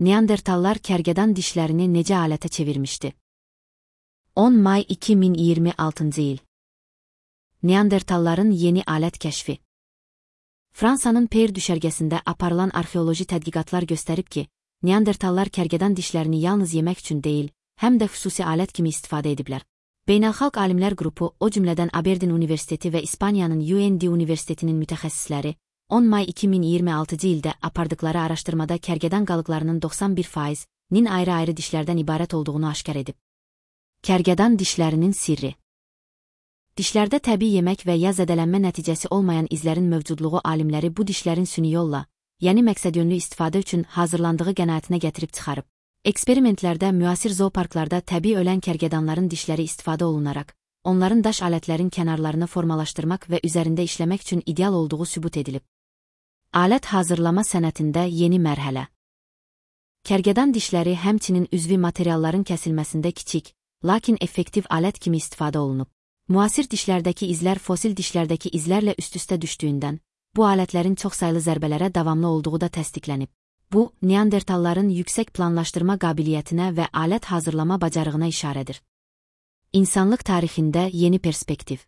Neandertallar kərgədan dişlərini necə alətə çevirmişdi? 10 may 2026 il. Neandertalların yeni alət kəşfi. Fransanın Peyr düşərgəsində aparılan arxeoloji tədqiqatlar göstərib ki, Neandertallar kərgədan dişlərini yalnız yemək üçün deyil, həm də xüsusi alət kimi istifadə ediblər. Beynəlxalq alimlər qrupu, o cümlədən Aberdeen Universiteti və İspaniyanın UND Universitetinin mütəxəssisləri, 10 may 2026 ildə apardıqları araşdırmada kərgədan qalıqlarının 91%-nin ayrı-ayrı dişlərdən ibarət olduğunu aşkar edib. Kərgədan dişlərinin sirri. Dişlərdə təbii yemək və ya zədələnmə nəticəsi olmayan izlərin mövcudluğu alimləri bu dişlərin süni yolla, yəni məqsədyönlü istifadə üçün hazırlandığı qənaətinə gətirib çıxarıb. Eksperimentlərdə müasir zooparklarda təbii ölən kərgədanların dişləri istifadə olunaraq, onların daş alətlərin kənarlarını formalaşdırmaq və üzərində işləmək üçün ideal olduğu sübut edilib. Alət hazırlama sənətində yeni mərhələ. Kərgədan dişləri həmçinin üzvi materialların kəsilməsində kiçik, lakin effektiv alət kimi istifadə olunub. Müasir dişlərdəki izlər fosil dişlərdəki izlərlə üst-üstə düşdüyündən, bu alətlərin çoxsaylı zərbələrə davamlı olduğu da təsdiqlənib. Bu, Neandertalların yüksək planlaşdırma qabiliyyətinə və alət hazırlama bacarığına işarədir. İnsanlıq tarixində yeni perspektiv.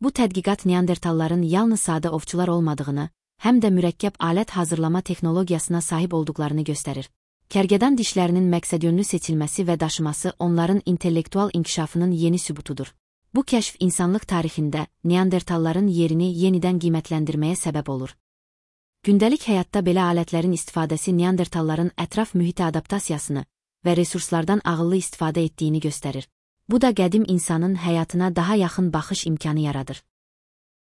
Bu tədqiqat Neandertalların yalnız sadə ovçular olmadığını, həm də mürəkkəb alət hazırlama texnologiyasına sahib olduqlarını göstərir. Kərgədan dişlərinin məqsədyönlü seçilməsi və daşıması onların intellektual inkişafının yeni sübutudur. Bu kəşf insanlıq tarixində Neandertalların yerini yenidən qiymətləndirməyə səbəb olur. Gündəlik həyatda belə alətlərin istifadəsi Neandertalların ətraf mühitə adaptasiyasını və resurslardan ağıllı istifadə etdiyini göstərir. Bu da qədim insanın həyatına daha yaxın baxış imkanı yaradır.